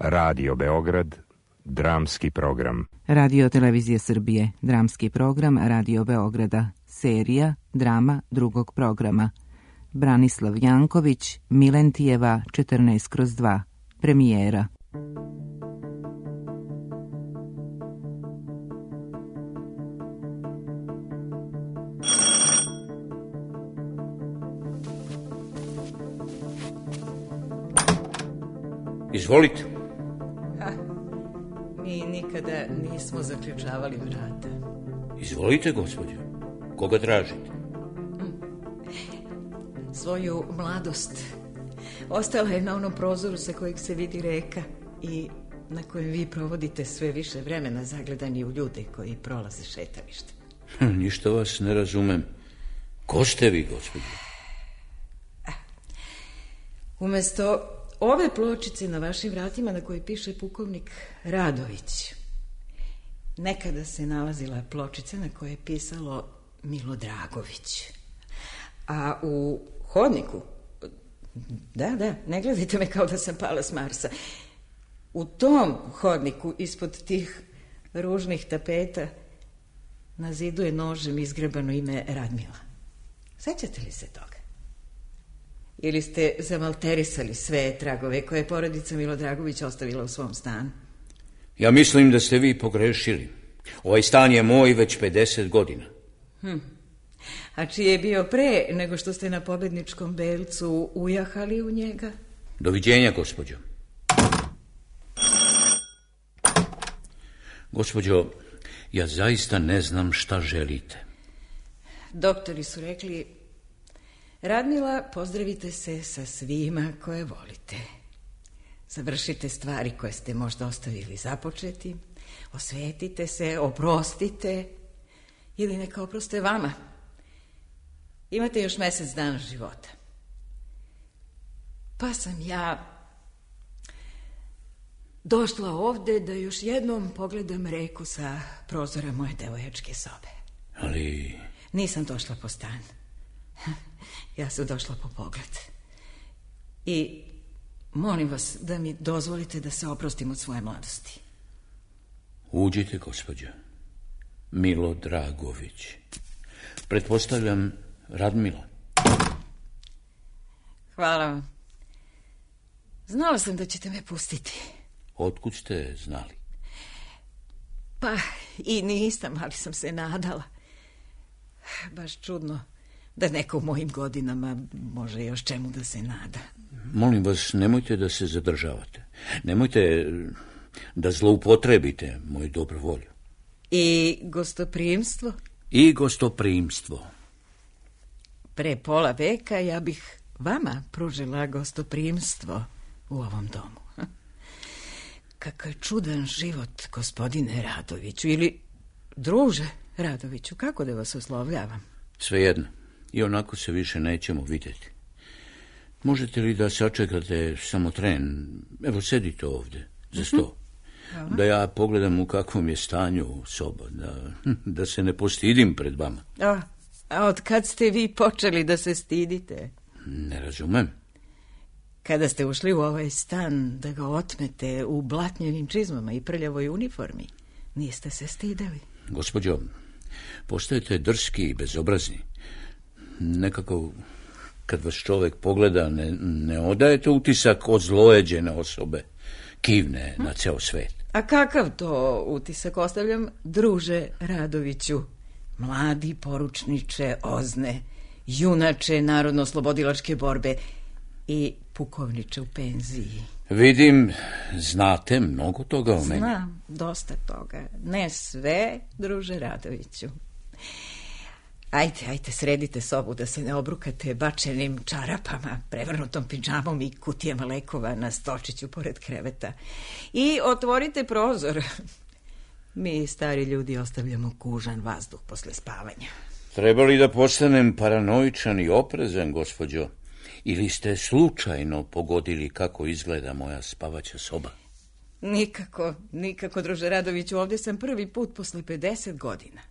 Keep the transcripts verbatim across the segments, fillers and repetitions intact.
Radio Beograd, dramski program. Radio Televizije Srbije, dramski program Radio Beograda, serija drama drugog programa. Branislav Janković, Milentijeva, četrnaest kroz dva, premijera. Izvolite. Ha, mi nikada nismo zaključavali vrata. Izvolite, gospođo. Koga tražite? Svoju mladost. Ostala je na onom prozoru sa kojeg se vidi reka i na kojem vi provodite sve više vremena zagledani u ljude koji prolaze šetalište. Hm, ništa vas ne razumem. Ko ste vi, gospođo? Umesto ove pločice na vašim vratima na kojoj piše pukovnik Radović, nekada se nalazila pločica na kojoj je pisalo Milo Dragović. A u hodniku, da, da, ne gledajte me kao da sam pala s Marsa, u tom hodniku ispod tih ružnih tapeta na zidu je nožem izgrebano ime Radmila. Sećate li se toga? Ili ste zamalterisali sve tragove koje je porodica Milo Dragović ostavila u svom stanu? Ja mislim da ste vi pogrešili. Ovaj stan je moj već pedeset godina. Hm. A čiji je bio pre nego što ste na pobedničkom belcu ujahali u njega? Doviđenja, gospođo. Gospođo, ja zaista ne znam šta želite. Doktori su rekli: Radmila, pozdravite se sa svima koje volite. Završite stvari koje ste možda ostavili započeti. Osvetite se, oprostite. Ili neka oproste vama. Imate još mesec dana života. Pa sam ja došla ovde da još jednom pogledam reku sa prozora moje devojačke sobe. Ali... Nisam došla po stan. Ja sam došla po pogled. I molim vas da mi dozvolite da se oprostim od svoje mladosti. Uđite, gospođo. Milo Dragović. Pretpostavljam Radmila. Hvala vam. Znala sam da ćete me pustiti. Otkud ste znali? Pa i nisam, ali sam se nadala. Baš čudno da neko u mojim godinama može još čemu da se nada. Molim vas, nemojte da se zadržavate. Nemojte da zloupotrebite moju dobru volju. I gostoprimstvo? I gostoprimstvo. Pre pola veka ja bih vama pružila gostoprimstvo u ovom domu. Kakav je čudan život, gospodine Radoviću, ili druže Radoviću, kako da vas oslovljavam? Svejedno, i onako se više nećemo vidjeti. Možete li da sačekate samo tren? Evo, sedite ovdje, za sto. Da ja pogledam u kakvom je stanju soba, da, da se ne postidim pred vama. A, a od kad ste vi počeli da se stidite? Ne razumem. Kada ste ušli u ovaj stan da ga otmete u blatnjevim čizmama i prljavoj uniformi, niste se stideli? Gospođo, postajete drski i bezobrazni. Nekako, kad vas čovjek pogleda, ne, ne odajete utisak ozlojeđene osobe. Kivne na ceo svet. A kakav to utisak ostavljam, druže Radoviću? Mladi poručniče Ozne, junače narodno-slobodilačke borbe i pukovniče u penziji. Vidim, znate mnogo toga o meni. Znam, dosta toga. Ne sve, druže Radoviću. Ajde, ajde, sredite sobu da se ne obrukate bačenim čarapama, prevrnutom pidžamom i kutijama lekova na stolčiću pored kreveta. I otvorite prozor. Mi, stari ljudi, ostavljamo kužan vazduh posle spavanja. Treba li da postanem paranoičan i oprezan, gospođo? Ili ste slučajno pogodili kako izgleda moja spavaća soba? Nikako, nikako, druže Radoviću, ovdje sam prvi put posle pedeset godina.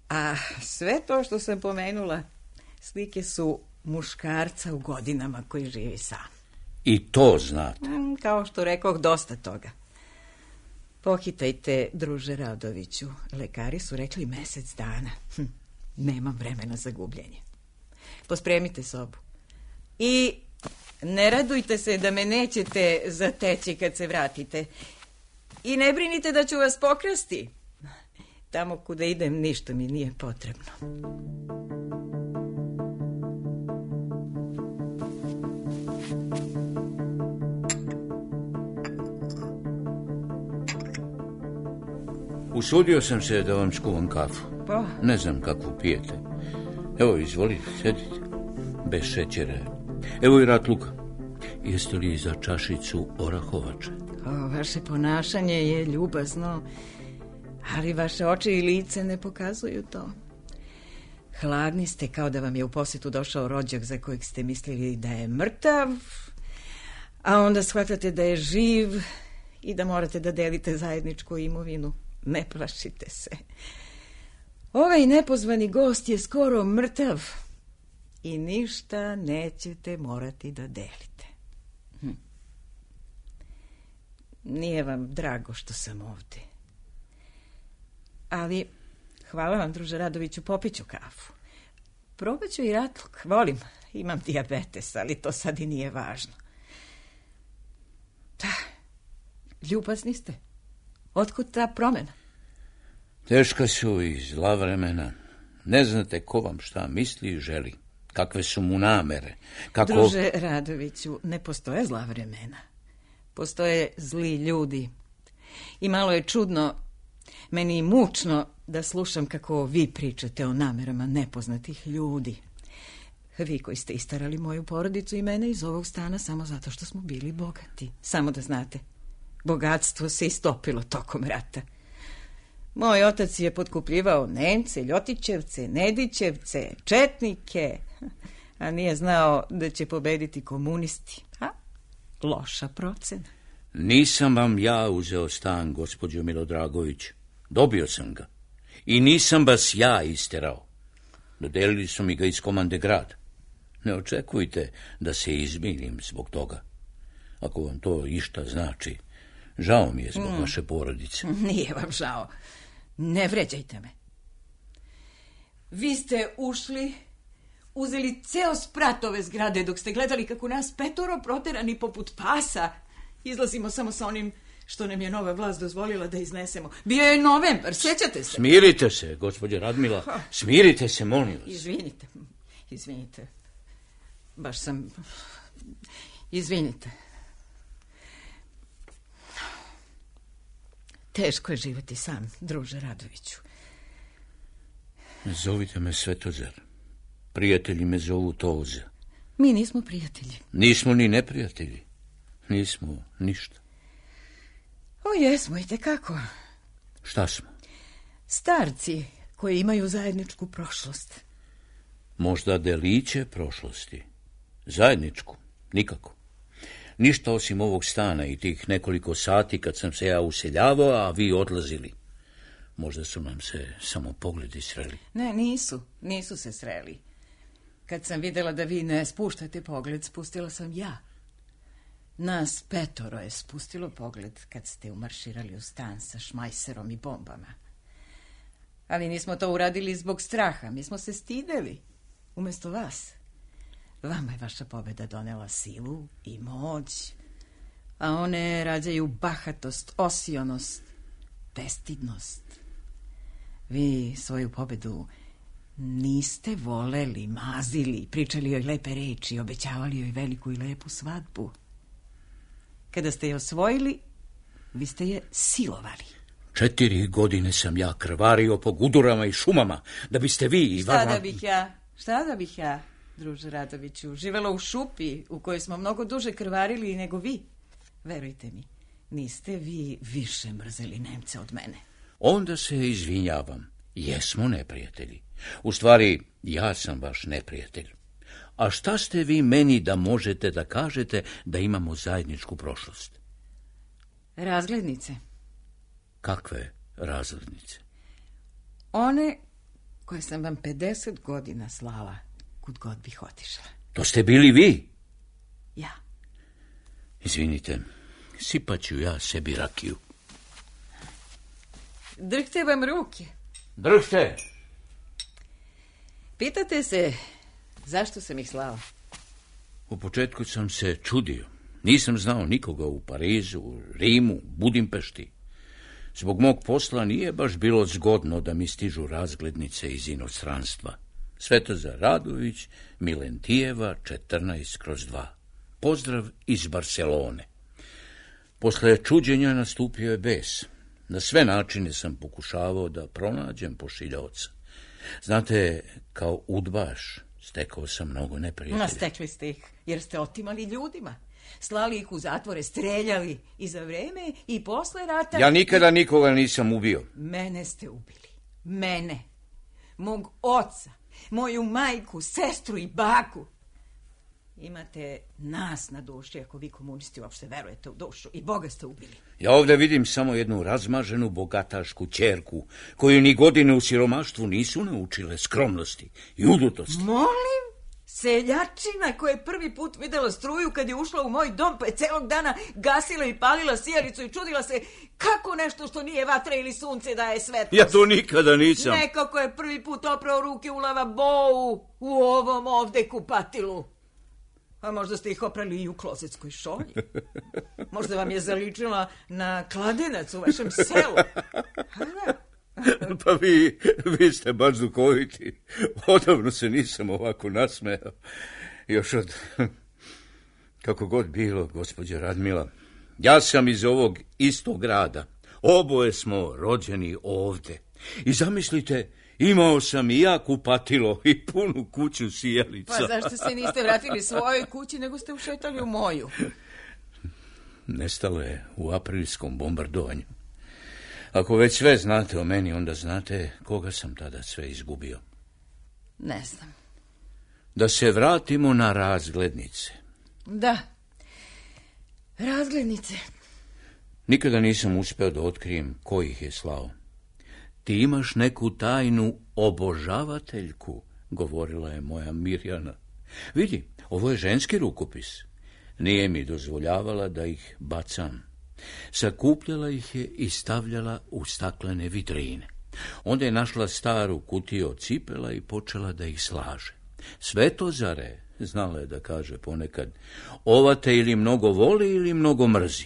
A sve to što sam pomenula, slike su muškarca u godinama koji živi sam. I to znate. Mm, kao što rekoh, dosta toga. Pohitajte, druže Radoviću. Lekari su rekli mesec dana. Hm, nemam vremena za gubljenje. Pospremite sobu. I ne radujte se da me nećete zateći kad se vratite. I ne brinite da ću vas pokrasti. Tamo kuda idem ništa mi nije potrebno. Usudio sam se da vam skuvam kafu. Pa? Ne znam kakvu pijete. Evo, izvolite, sedite. Bez šećera. Evo i ratluka. Jeste li za čašicu orahovače? O, vaše ponašanje je ljubazno, ali vaše oči i lice ne pokazuju to. Hladni ste, kao da vam je u posjetu došao rođak za kojeg ste mislili da je mrtav, a onda shvatate da je živ i da morate da delite zajedničku imovinu. Ne plašite se. Ovaj nepozvani gost je skoro mrtav i ništa nećete morati da delite. Hm. Nije vam drago što sam ovde. Ali, hvala vam, druže Radoviću, popiću kafu. Probaću i ratluk, volim. Imam dijabetes, ali to sad i nije važno. Da, ljubazni ste. Otkud ta promena? Teška su i zla vremena. Ne znate ko vam šta misli i želi. Kakve su mu namere. Kako... Druže Radoviću, ne postoje zla vremena. Postoje zli ljudi. I malo je čudno, meni mučno da slušam kako vi pričate o namerama nepoznatih ljudi. Vi koji ste istarali moju porodicu i mene iz ovog stana samo zato što smo bili bogati. Samo da znate, bogatstvo se istopilo tokom rata. Moj otac je potkupljivao Nemce, Ljotićevce, Nedićevce, četnike, a nije znao da će pobediti komunisti. A? Loša procena. Nisam vam ja uzeo stan, gospođo Milodragović. Dobio sam ga. I nisam vas ja isterao. Dodelili su mi ga iz komande grada. Ne očekujte da se izmirim zbog toga. Ako vam to išta znači, žao mi je zbog mm. vaše porodice. Nije vam žao. Ne vređajte me. Vi ste ušli, uzeli ceo sprat ove zgrade dok ste gledali kako nas petoro proterani poput pasa izlazimo samo sa onim što nam je nova vlast dozvolila da iznesemo. Bio je novembar, sjećate se? Smirite se, gospođo Radmila. Smirite se, molim vas. Izvinite, izvinite. Baš sam... Izvinite. Teško je živjeti sam, druže Radoviću. Zovite me Svetozar. Prijatelji me zovu Toza. Mi nismo prijatelji. Nismo ni neprijatelji. Nismo ništa. O, jesmo, i tekako. Šta smo? Starci koji imaju zajedničku prošlost. Možda deliće prošlosti. Zajedničku? Nikako. Ništa osim ovog stana i tih nekoliko sati kad sam se ja useljavao, a vi odlazili. Možda su nam se samo pogledi sreli. Ne, nisu. Nisu se sreli. Kad sam vidjela da vi ne spuštate pogled, spustila sam ja. Nas petoro je spustilo pogled kad ste umarširali u stan sa šmajserom i bombama. Ali nismo to uradili zbog straha. Mi smo se stideli. Umjesto vas. Vama je vaša pobjeda donela silu i moć, a one rađaju bahatost, osionost, bestidnost. Vi svoju pobjedu niste voleli, mazili, pričali joj lepe reči, obećavali joj veliku i lepu svadbu. Kada ste je osvojili, vi ste je silovali. Četiri godine sam ja krvario po gudurama i šumama, da biste vi i Šta vama... da bih ja, šta da bih ja, druže Radoviću, živela u šupi u kojoj smo mnogo duže krvarili nego vi. Verujte mi, niste vi više mrzeli Nemce od mene. Onda se izvinjavam, jesmo neprijatelji. U stvari, ja sam vaš neprijatelj. A šta ste vi meni da možete da kažete da imamo zajedničku prošlost? Razglednice. Kakve razglednice? One koje sam vam pedeset godina slala kud god bih otišla. To ste bili vi? Ja. Izvinite, sipat ću ja sebi rakiju. Drhte vam ruke. Drhte! Pitate se zašto sam ih slao? U početku sam se čudio. Nisam znao nikoga u Parizu, Rimu, Budimpešti. Zbog mog posla nije baš bilo zgodno da mi stižu razglednice iz inostranstva. Svetozar Radović, Milentijeva, četrnaest kroz dva. Pozdrav iz Barcelone. Posle čuđenja nastupio je bes. Na sve načine sam pokušavao da pronađem pošiljaoca. Znate, kao udbaš stekao sam mnogo neprijatelja. No, stekli ste ih, jer ste otimali ljudima. Slali ih u zatvore, streljali i za vreme i posle rata... Ja nikada nikoga nisam ubio. Mene ste ubili. Mene. Mog oca, moju majku, sestru i baku. Imate nas na duši, ako vi komunisti uopšte verujete u dušu. I Boga ste ubili. Ja ovdje vidim samo jednu razmaženu bogatašku ćerku, koju ni godine u siromaštvu nisu naučile skromnosti i udutosti. Molim? Seljačina koja je prvi put videla struju kad je ušla u moj dom, pa je celog dana gasila i palila sijalicu i čudila se kako nešto što nije vatra ili sunce daje svetlost. Ja to nikada nisam. Nekako je prvi put oprao ruke u lavabou u ovom ovde kupatilu. A možda ste ih oprali i u klozetskoj šolji. Možda vam je zaličila na kladenac u vašem selu. Pa vi, vi ste baš duhoviti. Odavno se nisam ovako nasmejao. Još od... Kako god bilo, gospođo Radmila. Ja sam iz ovog istog grada. Oboje smo rođeni ovde. I zamislite, imao sam i ja kupatilo i punu kuću sijalica. Pa zašto se niste vratili svojoj kući, nego ste ušetali u moju? Nestalo je u aprilskom bombardovanju. Ako već sve znate o meni, onda znate koga sam tada sve izgubio. Ne znam. Da se vratimo na razglednice. Da, razglednice. Nikada nisam uspeo da otkrijem ko ih je slao. Ti imaš neku tajnu obožavateljku, govorila je moja Mirjana. Vidi, ovo je ženski rukopis. Nije mi dozvoljavala da ih bacam. Sakupljala ih je i stavljala u staklene vitrine. Onda je našla staru kutiju od cipela i počela da ih slaže. Svetozare, znala je da kaže ponekad, ova te ili mnogo voli ili mnogo mrzi.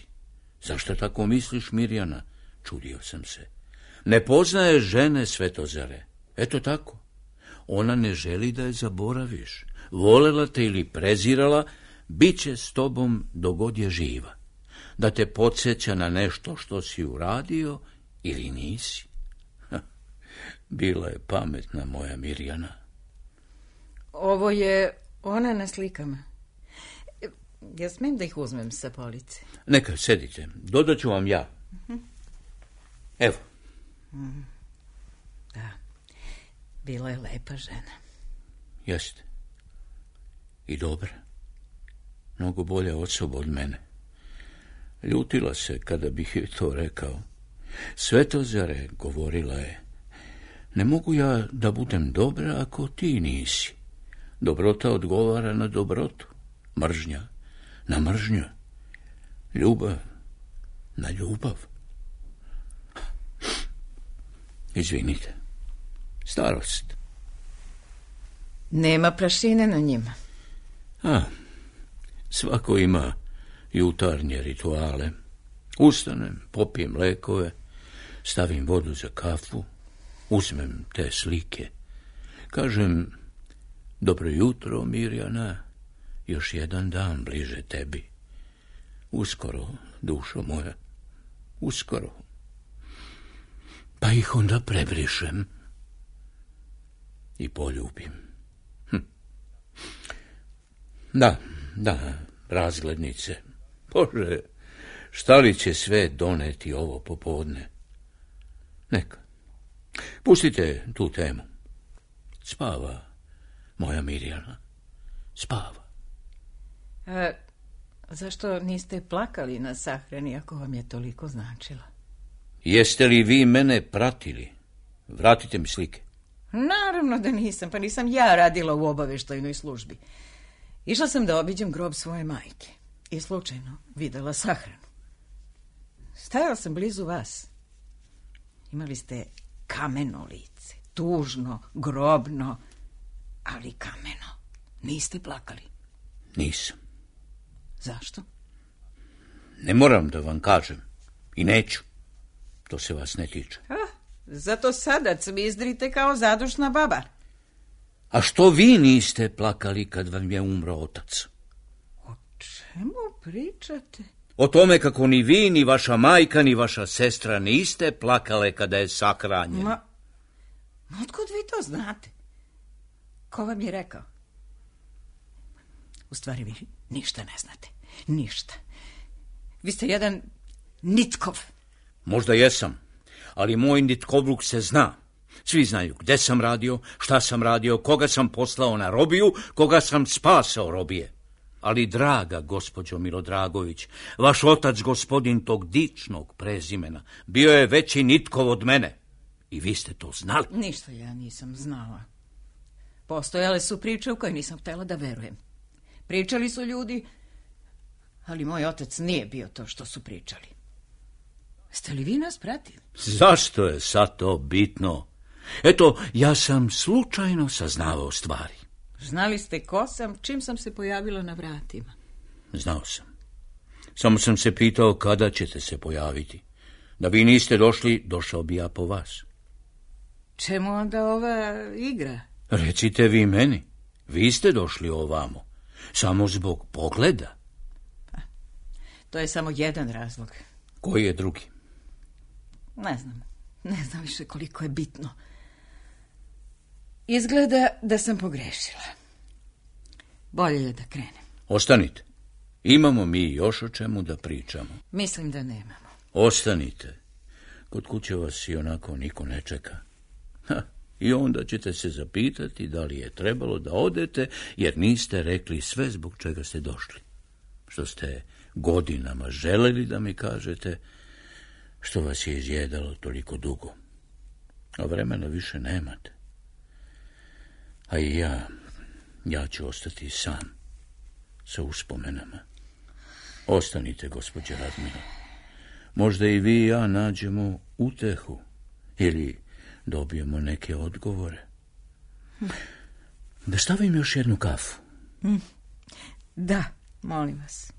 Zašto tako misliš, Mirjana? Čudio sam se. Ne poznaje žene, Svetozare. Eto tako. Ona ne želi da je zaboraviš. Volela te ili prezirala, bit će s tobom dogod je živa. Da te podsjeća na nešto što si uradio ili nisi. Ha, bila je pametna moja Mirjana. Ovo je ona na slikama. Ja smijem da ih uzmem sa police? Neka, sedite. Dodat ću vam ja. Uh-huh. Evo. Mm, da, bila je lepa žena. Jeste. I dobra. Mnogo bolja osoba od mene. Ljutila se kada bih joj to rekao. Svetozare, govorila je, ne mogu ja da budem dobra ako ti nisi. Dobrota odgovara na dobrotu, mržnja na mržnju, ljubav na ljubav. Izvinite, starost. Nema prašine na njima. A, svako ima jutarnje rituale. Ustanem, popijem lekove, stavim vodu za kafu, uzmem te slike. Kažem, dobro jutro, Mirjana, još jedan dan bliže tebi. Uskoro, dušo moja, uskoro. Pa ih onda prebrišem i poljubim. Hm. Da, da, razglednice. Bože, šta li će sve doneti ovo popodne? Neka. Pustite tu temu. Spava moja Mirjana. Spava. A, zašto niste plakali na sahrani ako vam je toliko značila? Jeste li vi mene pratili? Vratite mi slike. Naravno da nisam, pa nisam ja radila u obaveštajnoj službi. Išla sam da obiđem grob svoje majke. i slučajno videla sahranu. Stajala sam blizu vas. Imali ste kameno lice, tužno, grobno, ali kameno. Niste plakali? Nisam. Zašto? Ne moram da vam kažem. I neću. To se vas ne tiče. Ah, zato sada cvizdrite kao zadušna baba. A što vi niste plakali kad vam je umro otac? O čemu pričate? O tome kako ni vi, ni vaša majka, ni vaša sestra niste plakale kada je sakranjen. Ma, otkud vi to znate? Ko vam je rekao? U stvari vi ništa ne znate. Ništa. Vi ste jedan nitkov. Možda jesam, ali moj nitkovluk se zna. Svi znaju gde sam radio, šta sam radio, koga sam poslao na robiju, koga sam spasao robije. Ali, draga gospođo Milodragović, vaš otac, gospodin tog dičnog prezimena, bio je veći nitkov od mene. I vi ste to znali. Ništa ja nisam znala. Postojale su priče u koje nisam htjela da verujem. Pričali su ljudi, ali moj otac nije bio to što su pričali. Ste li vi nas pratili? Zašto je sad to bitno? Eto, ja sam slučajno saznavao stvari. Znali ste ko sam, čim sam se pojavila na vratima? Znao sam. Samo sam se pitao kada ćete se pojaviti. Da vi niste došli, došao bi ja po vas. Čemu onda ova igra? Recite vi meni. Vi ste došli ovamo. Samo zbog pogleda. Pa, to je samo jedan razlog. Koji je drugi? Ne znam. Ne znam više koliko je bitno. Izgleda da sam pogrešila. Bolje je da krenem. Ostanite. Imamo mi još o čemu da pričamo. Mislim da nemamo. Ostanite. Kod kuće vas i onako niko ne čeka. Ha, i onda ćete se zapitati da li je trebalo da odete, jer niste rekli sve zbog čega ste došli. Što ste godinama želeli da mi kažete, što vas je izjedalo toliko dugo. A vremena više nemate. A i ja, ja ću ostati sam, sa uspomenama. Ostanite, gospođe Radmila. Možda i vi i ja nađemo utehu, ili dobijemo neke odgovore. Da stavim još jednu kafu? Da, molim vas.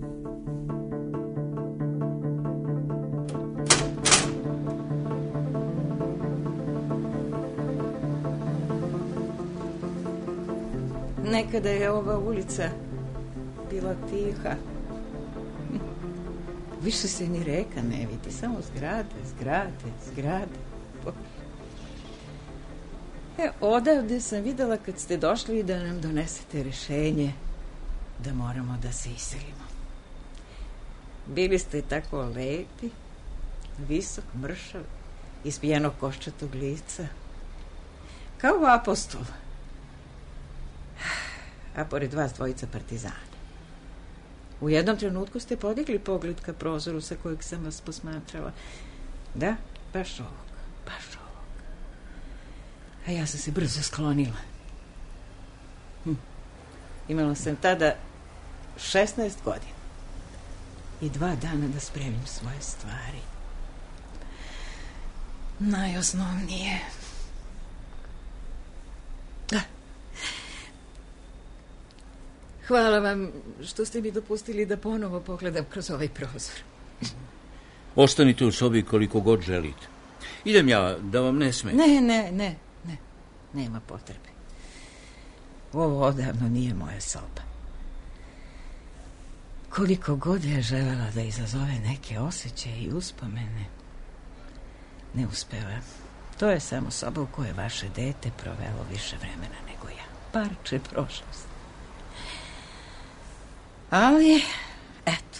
Nekada je ova ulica bila tiha. Više se ni reka ne vidi, samo zgrade, zgrade, zgrade. E, odavde sam videla kad ste došli da nam donesete rešenje da moramo da se iselimo. Bili ste tako lepi, visok, mršav, ispijenog koščatog lica, kao apostol. A pored vas dvojica partizana. U jednom trenutku ste podigli pogled ka prozoru sa kojeg sam vas posmatrala. Da, baš ovog, baš ovog. A ja sam se brzo sklonila. Hm. Imala sam tada šesnaest godina i dva dana da spremim svoje stvari. Najosnovnije. Da. Hvala vam što ste mi dopustili da ponovo pogledam kroz ovaj prozor. Ostanite u sobi koliko god želite. Idem ja, da vam ne smeta. Ne, ne, ne, ne. Nema potrebe. Ovo odavno nije moja soba. Koliko god je želela da izazove neke osjećaje i uspomene, ne uspeva. To je samo soba u kojoj vaše dete provelo više vremena nego ja. Parče prošlosti. Ali, eto,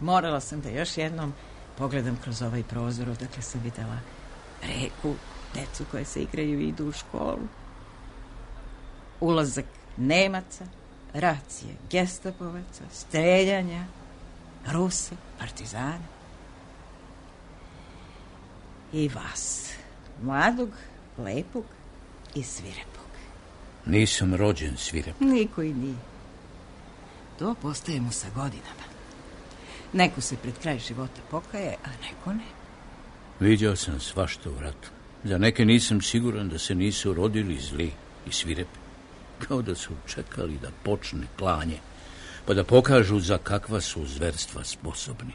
morala sam da još jednom pogledam kroz ovaj prozor, odakle sam videla reku, decu koje se igraju i idu u školu, ulazak Nemaca, racije gestapovaca, streljanja, Rusa, partizana i vas, mladog, lepog i svirepog. Nisam rođen svirep. Niko i nije. To postajemo sa godinama. Neko se pred kraj života pokaje, a neko ne. Viđao sam svašta u ratu. Za neke nisam siguran da se nisu rodili zli i svirepi. Kao da su čekali da počne klanje, pa da pokažu za kakva su zverstva sposobni.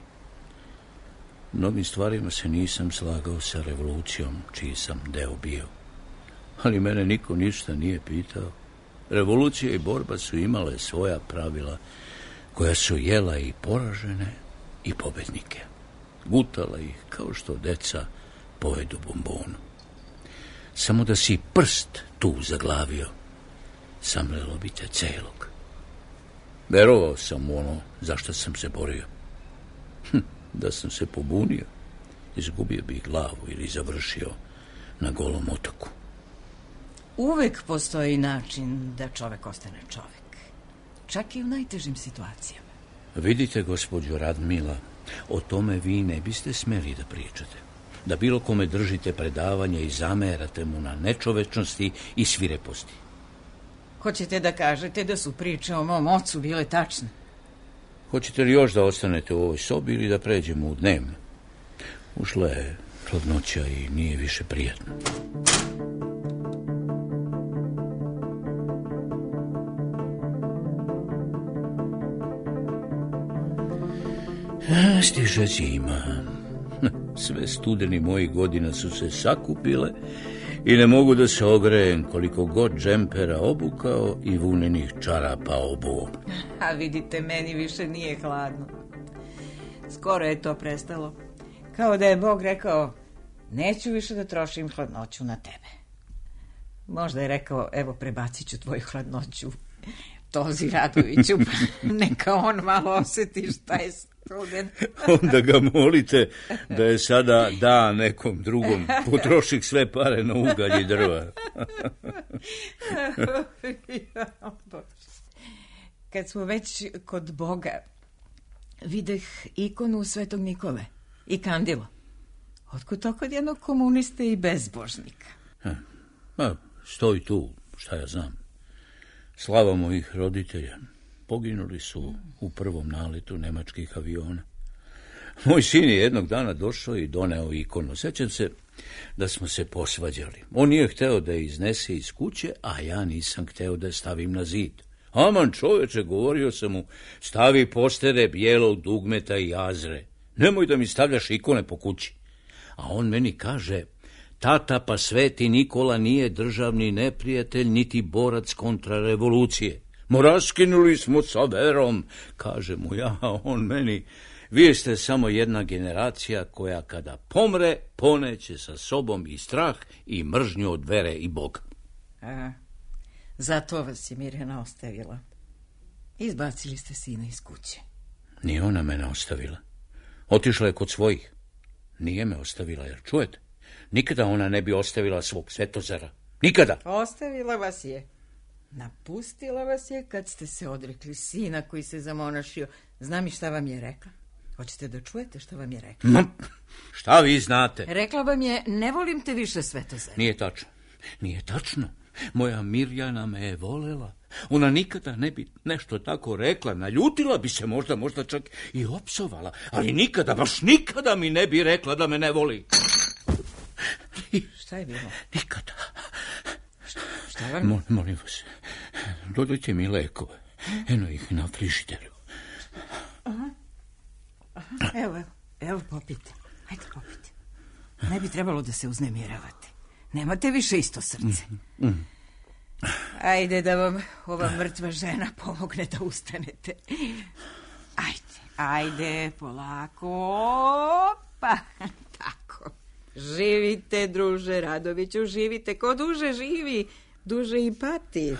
Mnogim stvarima se nisam slagao sa revolucijom, čiji sam deo bio. Ali mene niko ništa nije pitao. Revolucija i borba su imale svoja pravila, koja su jela i poražene i pobednike. Gutala ih kao što deca pojedu bombonu. Samo da si prst tu zaglavio, samlelo bi te celog. Verovao sam u ono zašto sam se borio. Hm, da sam se pobunio, izgubio bih glavu ili završio na Golom otoku. Uvek postoji način da čovek ostane čovek. Čak i u najtežim situacijama. Vidite, gospođo Radmila, o tome vi ne biste smeli da pričate. Da bilo kome držite predavanje i zamerate mu na nečovečnosti i svireposti. Hoćete da kažete da su priče o mom ocu bile tačne? Hoćete li još da ostanete u ovoj sobi ili da pređemo u dnevnu? Ušla je hladnoća i nije više prijatno. Stiže zima. Sve studeni mojih godina su se sakupile i ne mogu da se ogrejem koliko god džempera obukao i vunenih čarapa obuo. A vidite, meni više nije hladno. Skoro je to prestalo. Kao da je Bog rekao, neću više da trošim hladnoću na tebe. Možda je rekao, evo prebacit ću tvoju hladnoću Tozi Radoviću, neka on malo osjeti šta je studen. Onda ga molite da je sada da nekom drugom, potroši sve pare na ugalj i drva. Kad smo već kod Boga, videh ikonu Svetog Nikole i kandilo. Otkud to kod jednog komuniste i bezbožnika? Ha, stoji tu, šta ja znam. Slava mojih roditelja. Poginuli su u prvom naletu nemačkih aviona. Moj sin je jednog dana došao i doneo ikonu. Sećam se da smo se posvađali. On nije hteo da je iznese iz kuće, a ja nisam hteo da je stavim na zid. Aman čoveče, govorio sam mu, stavi postere bijelog dugmeta i jazre. Nemoj da mi stavljaš ikone po kući. A on meni kaže, tata, pa Sveti Nikola nije državni neprijatelj, niti borac kontra revolucije. Mo raskinuli smo sa verom, kaže mu ja, a on meni, vi ste samo jedna generacija koja kada pomre, poneće sa sobom i strah i mržnju od vere i Boga. A, zato vas je Mirjana ostavila. Izbacili ste sina iz kuće. Nije ona mene ostavila. Otišla je kod svojih. Nije me ostavila, jer čujete? Nikada ona ne bi ostavila svog Svetozara. Nikada. Ostavila vas je. Napustila vas je kad ste se odrekli sina koji se zamonašio. Znam i šta vam je rekla. Hoćete da čujete šta vam je rekla? Ma, šta vi znate? Rekla vam je, ne volim te više, Svetozar. Nije tačno. Nije tačno. Moja Mirjana me je volela. Ona nikada ne bi nešto tako rekla. Naljutila bi se možda, možda čak i opsovala. Ali nikada, baš nikada mi ne bi rekla da me ne voli. Šta je bilo? Nikada. Šta, šta vam? Mo, molim vas, dodajte mi lekove. Eno ih na frižideru. Aha. Aha. Evo, evo, evo popite. Hajde popite. Ne bi trebalo da se uznemiravate. Nemate više isto srce. Mm, mm. Ajde da vam ova mrtva žena pomogne da ustanete. Ajde, ajde, polako. Pa, tako. Živite, druže Radoviću, živite. Ko duže živi, duže i pati.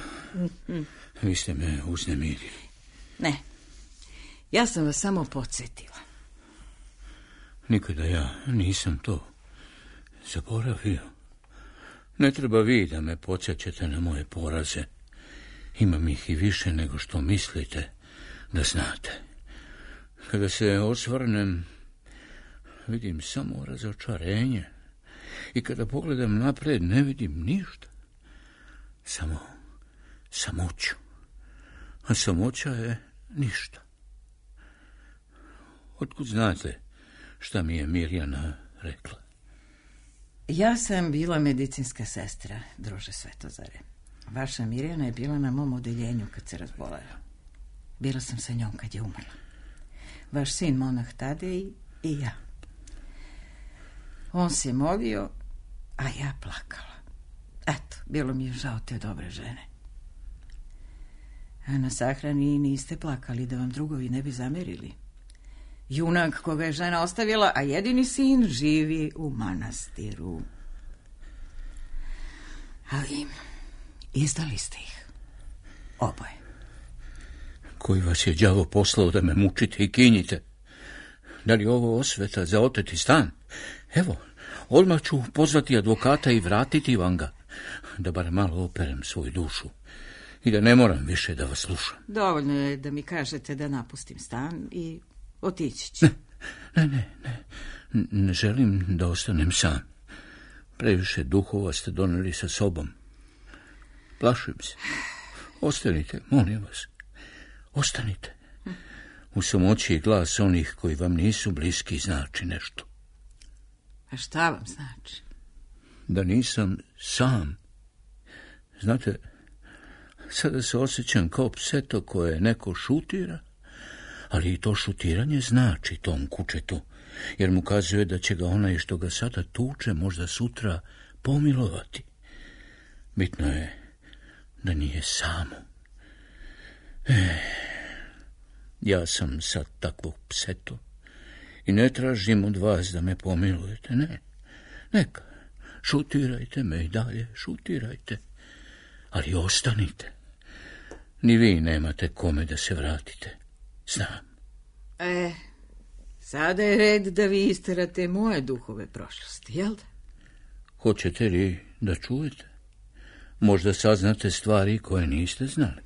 Vi ste me uznemirili. Ne, ja sam vas samo podsjetila. Nikada ja nisam to zaboravio. Ne treba vi da me podsjećate na moje poraze. Imam ih i više nego što mislite da znate. Kada se osvrnem, vidim samo razočarenje. I kada pogledam napred, ne vidim ništa. Samo samoću. A samoća je ništa. Otkud znate šta mi je Mirjana rekla? Ja sam bila medicinska sestra, druže Svetozare. Vaša Mirjana je bila na mom odeljenju kad se razbolela. Bila sam sa njom kad je umrla. Vaš sin monah Tadej i ja. On se molio, a ja plakala. Eto, bilo mi je žao te dobre žene. A na sahrani niste plakali da vam drugovi ne bi zamerili. Junak koga je žena ostavila, a jedini sin živi u manastiru. Ali izdali ste ih. Oboje. Koji vas je đavo poslao da me mučite i kinjite? Da li ovo osveta za oteti stan? Evo, odmah ću pozvati advokata i vratiti vam ga, da bar malo operem svoju dušu i da ne moram više da vas slušam. Dovoljno je da mi kažete da napustim stan i otići ću. Ne, ne, ne, ne, ne želim da ostanem sam. Previše duhova ste doneli sa sobom. Plašim se. Ostanite, molim vas. Ostanite. U samoći i glas onih koji vam nisu bliski znači nešto. A šta vam znači? Da nisam sam. Znate, sada se osjećam kao pseto koje neko šutira, ali i to šutiranje znači tom kučetu, jer mu kazuje da će ga onaj što ga sada tuče možda sutra pomilovati. Bitno je da nije samo. Eh, ja sam sad takvog pseto i ne tražim od vas da me pomilujete, ne. Neka, šutirajte me i dalje, šutirajte, ali ostanite. Ni vi nemate kome da se vratite. Znam. E, sada je red da vi isterate moje duhove prošlosti, jel da? Hoćete li da čujete? Možda saznate stvari koje niste znali.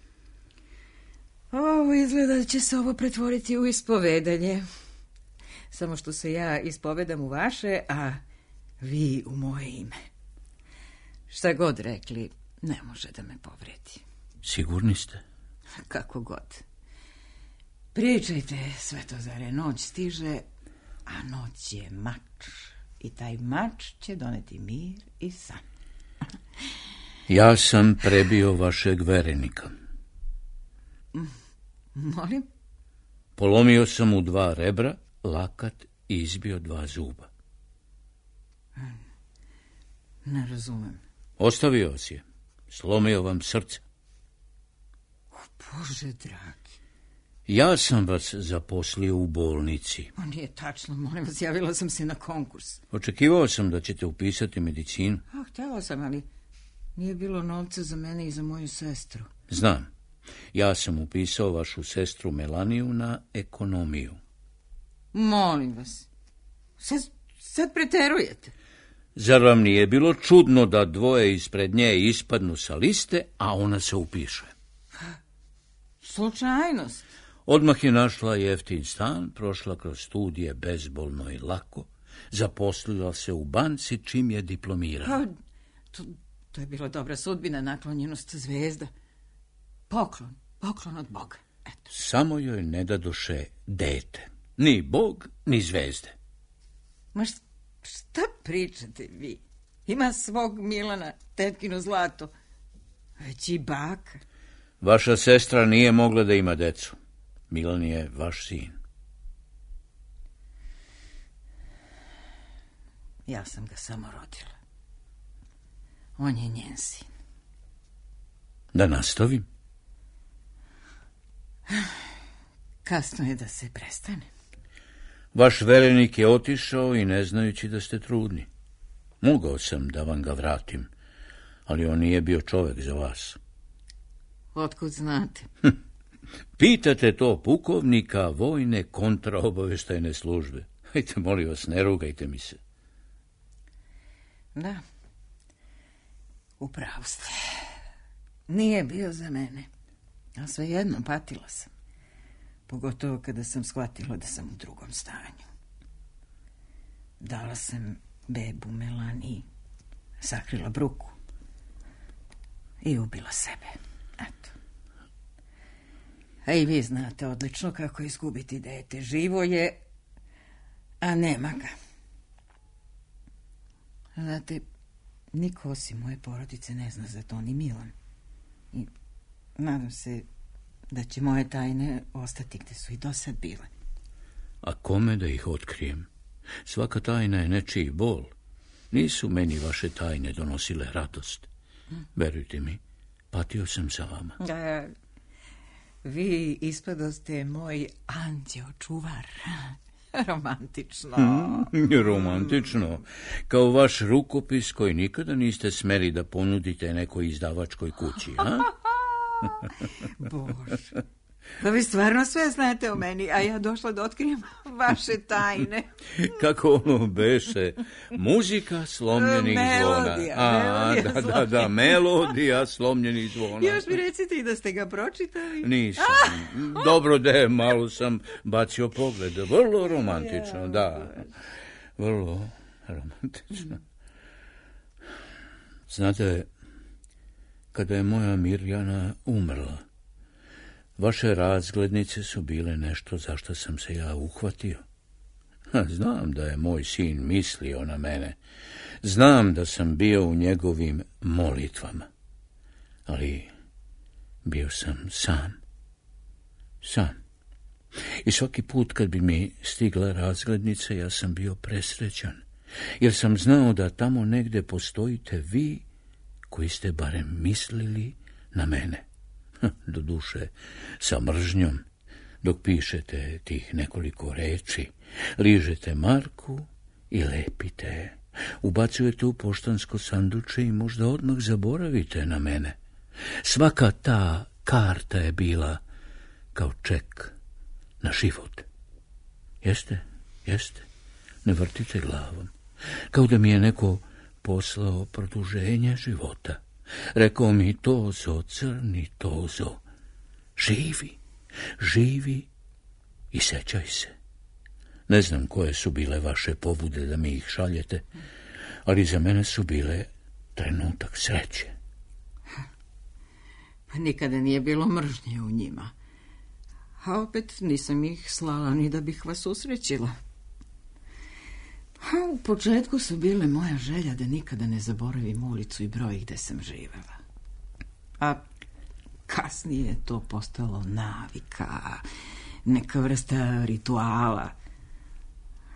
Ovo izgleda da će se ovo pretvoriti u ispovedanje. Samo što se ja ispovedam u vaše, a vi u moje ime. Šta god rekli, ne može da me povredi. Sigurni ste? Kako god. Pričajte, Svetozare, noć stiže, a noć je mač. I taj mač će doneti mir i san. Ja sam prebio vašeg verenika. Molim? Polomio sam mu dva rebra, lakat i izbio dva zuba. Ne razumem. Ostavio vas je. Slomio vam srce. O, Bože dragi. Ja sam vas zaposlio u bolnici. O, nije tačno, molim vas, javila sam se na konkurs. Očekivao sam da ćete upisati medicinu. A, htjela sam, ali nije bilo novca za mene i za moju sestru. Znam. Ja sam upisao vašu sestru Melaniju na ekonomiju. Molim vas. Sad, sad preterujete. Zar vam nije bilo čudno da dvoje ispred nje ispadnu sa liste, a ona se upiše? Slučajnost. Odmah je našla jeftin stan, prošla kroz studije bezbolno i lako, zaposlila se u banci čim je diplomirala. Pa, to, to je bila dobra sudbina, naklonjenost zvezda. Poklon, poklon od Boga. Eto. Samo joj ne dadoše dete. Ni Bog, ni zvezde. Ma šta pričate vi? Ima svog Milana, tetkino zlato. Već i baka. Vaša sestra nije mogla da ima decu. Milan je vaš sin. Ja sam ga samo rodila. On je njen sin. Da nastavim? Kasno je da se prestane. Vaš verenik je otišao i ne znajući da ste trudni. Mogao sam da vam ga vratim, ali on nije bio čovek za vas. Otkud znate? Pitate to pukovnika vojne kontraobaveštajne službe. Hajte, molim vas, ne rugajte mi se. Da, upravo ste. Nije bio za mene, a svejedno patila sam. Pogotovo kada sam shvatila da sam u drugom stanju. Dala sam bebu Melaniji, sakrila bruku i ubila sebe. Eto. A i vi znate odlično kako izgubiti dete. Živo je, A nema ga. Znate, niko osim moje porodice ne zna za to, ni Milan. I nadam se da će moje tajne ostati gde su i do sad bile. A kome da ih otkrijem? Svaka tajna je nečiji bol. Nisu meni vaše tajne donosile radost. Verujte mi, patio sam za vama. A, vi ispadoste moj anđeo čuvar. Romantično. Mm, romantično. Kao vaš rukopis koji nikada niste smeli da ponudite nekoj izdavačkoj kući, a? Bože. Pa vi stvarno sve znate o meni, a ja došla da otkrijem vaše tajne. Kako ono beše? Muzika slomljenih melodija, zvona. A, melodija da, da, da, melodija slomljenih zvona. Još mi recite i da ste ga pročitali. Nisam. Dobro da je, malo sam bacio pogled. Vrlo romantično, da. Vrlo romantično. Znate, kada je moja Mirjana umrla, vaše razglednice su bile nešto za što sam se ja uhvatio. Znam da je moj sin mislio na mene. Znam da sam bio u njegovim molitvama. Ali bio sam sam. Sam. I svaki put kad bi mi stigla razglednica, ja sam bio presrećan. Jer sam znao da tamo negde postojite vi koji ste barem mislili na mene. Doduše, sa mržnjom, dok pišete tih nekoliko reči, ližete marku i lepite, ubacujete u poštansko sanduče i možda odmah zaboravite na mene. Svaka ta karta je bila kao ček na život. Jeste, jeste, ne vrtite glavom. Kao da mi je neko poslao produženje života. Rekao mi, Tozo, crni Tozo, živi, živi i sećaj se. Ne znam koje su bile vaše pobude da mi ih šaljete, ali za mene su bile trenutak sreće. Pa nikada nije bilo mržnje u njima. A opet nisam ih slala ni da bih vas usrećila. A u početku su bile moja želja da nikada ne zaboravim ulicu i broj gde sam živela. A kasnije je to postalo navika, neka vrsta rituala.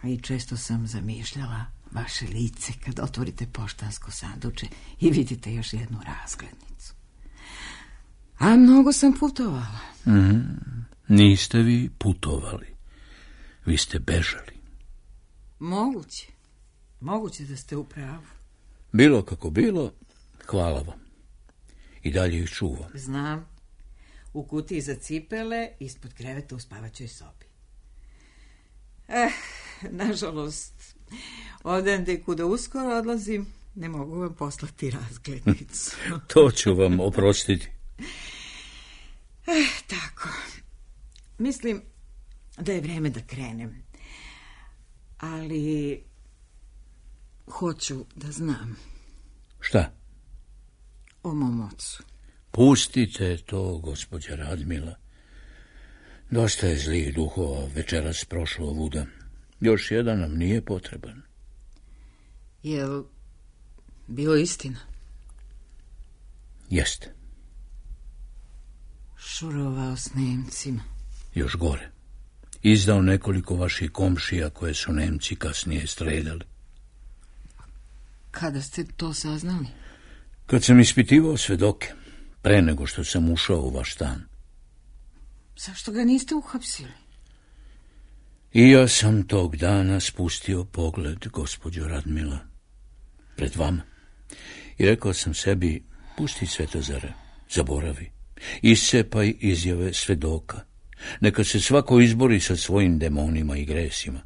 A i često sam zamišljala vaše lice kad otvorite poštansko sanduče i vidite još jednu razglednicu. A mnogo sam putovala. Mm, niste vi putovali. Vi ste bežali. Moguće. Moguće da ste u pravu. Bilo kako bilo, hvala vam. I dalje ih čuvam. Znam. U kutiji za cipele, ispod kreveta u spavaćoj sobi. Eh, nažalost, odande kuda uskoro odlazim, ne mogu vam poslati razglednicu. To ću vam oprostiti. Eh, tako. Mislim da je vreme da krenem. Ali hoću da znam. Šta? O mom ocu. Pustite to, gospođa Radmila. Dosta je zlih duhova večeras prošlo ovuda. Još jedan nam nije potreban. Jel bilo istina? Jeste. Šurovao s Nemcima. Još gore. Izdao nekoliko vaših komšija koje su Nemci kasnije streljali. Kada ste to saznali? Kad sam ispitivao svedoke, pre nego što sam ušao u vaš stan. Zašto ga niste uhapsili? I ja sam tog dana spustio pogled, gospođo Radmila, pred vama. I rekao sam sebi, pusti Svetozare, zaboravi, iscepaj izjave svedoka. Neka se svako izbori sa svojim demonima i gresima.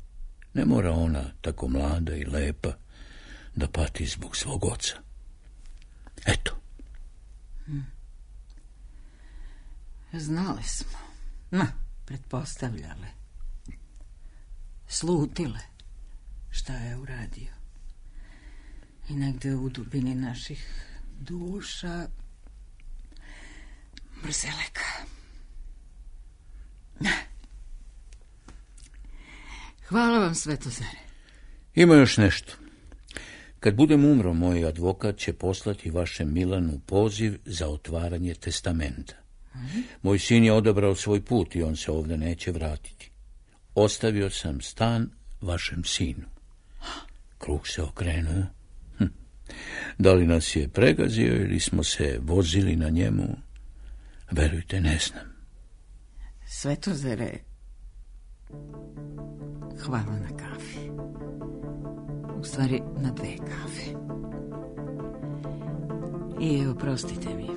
Ne mora ona, tako mlada i lepa, da pati zbog svog oca. Eto. Hmm. Znali smo. Ma, pretpostavljale. Slutile šta je uradio. I negde u dubini naših duša mrzeleka. Hvala vam, Svetozare. Ima još nešto. Kad budem umro, moj advokat će poslati vašem Milanu poziv za otvaranje testamenta. Moj sin je odabrao svoj put i on se ovdje neće vratiti. Ostavio sam stan vašem sinu. Krug se okrenuo. Hm. Da li nas je pregazio ili smo se vozili na njemu? Verujte, ne znam. Svetozare, hvala na kafi. U stvari, na dve kafe. I oprostite mi.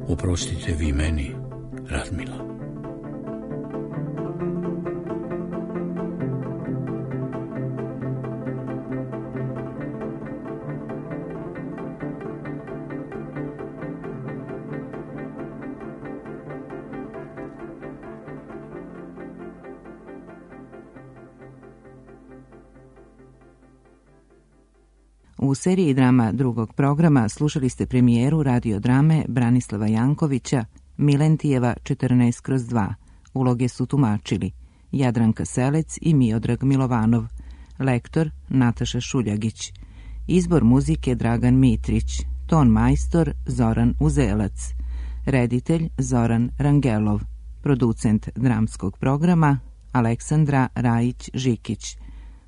Oprostite vi meni, Radmila. U seriji drama drugog programa slušali ste premijeru radiodrame Branislava Jankovića Milentijeva četrnaest kroz dva. Uloge su tumačili Jadranka Selec i Miodrag Milovanov, lektor Nataša Šuljagić, izbor muzike Dragan Mitrić, ton majstor Zoran Uzelac, reditelj Zoran Rangelov, producent dramskog programa Aleksandra Rajić-Žikić,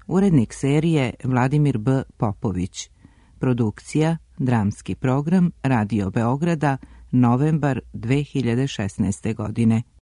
urednik serije Vladimir B. Popović. Produkcija Dramski program Radio Beograda, novembar dve hiljade šesnaeste godine.